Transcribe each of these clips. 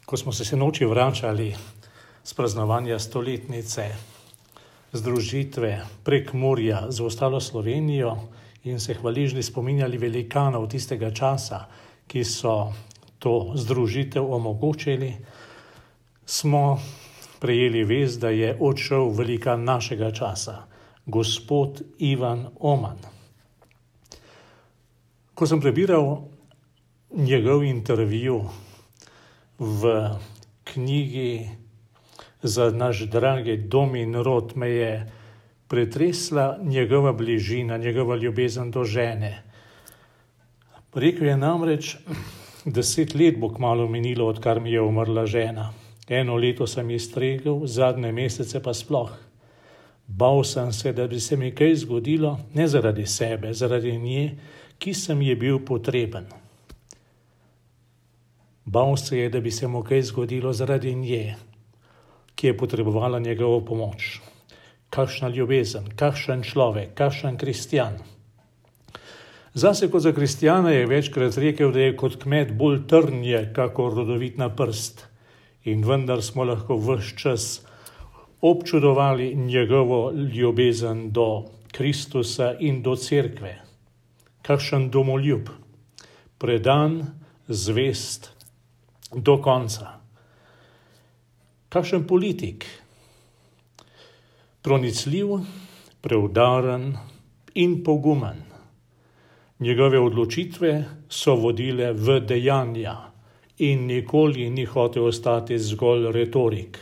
Ko smo se sinoči vračali z praznovanja stoletnice združitve Prekmurja z ostalo Slovenijo in se hvaležni spominjali velikanov tistega časa, ki so to združitev omogočili, smo prejeli vest, da je odšel velikan našega časa, gospod Ivan Oman. Ko sem prebiral njegov intervju v knjigi Za naš dragi dom in rod, me je pretresla njegova bližina, njegova ljubezen do žene. Rekel je namreč, 10 let bo kmalu minilo, odkar mi je umrla žena. 1 leto sem ji stregel, zadnje mesece pa sploh. Bal sem se, da bi se mi kaj zgodilo, ne zaradi sebe, zaradi nje, ki sem ji bil potreben. Bal se je, da bi se mu kaj zgodilo zaradi nje, ki je potrebovala njegovo pomoč. Kakšna ljubezen, kakšen človek, kakšen kristjan. Zase kot za kristjana je večkrat rekel, da je kot kmet bolj trnje, kakor rodovitna prst. In vendar smo lahko ves čas občudovali njegovo ljubezen do Kristusa in do cerkve. Kakšen domoljub, predan, zvest do konca. Kakšen politik, pronicljiv, preudaren in pogumen. Njegove odločitve so vodile v dejanja in nikoli ni hotel ostati zgolj retorik.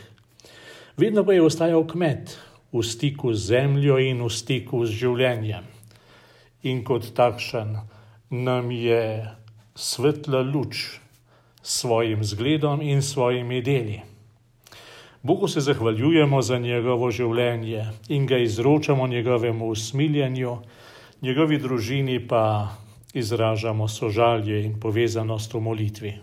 Vedno pa je ostajal kmet, v stiku z zemljo in v stiku z življenjem. In kot takšen nam je svetla luč s svojim zgledom in svojimi deli. Bogu se zahvaljujemo za njegovo življenje in ga izročamo njegovemu usmiljenju, njegovi družini pa izražamo sožalje in povezanost v molitvi.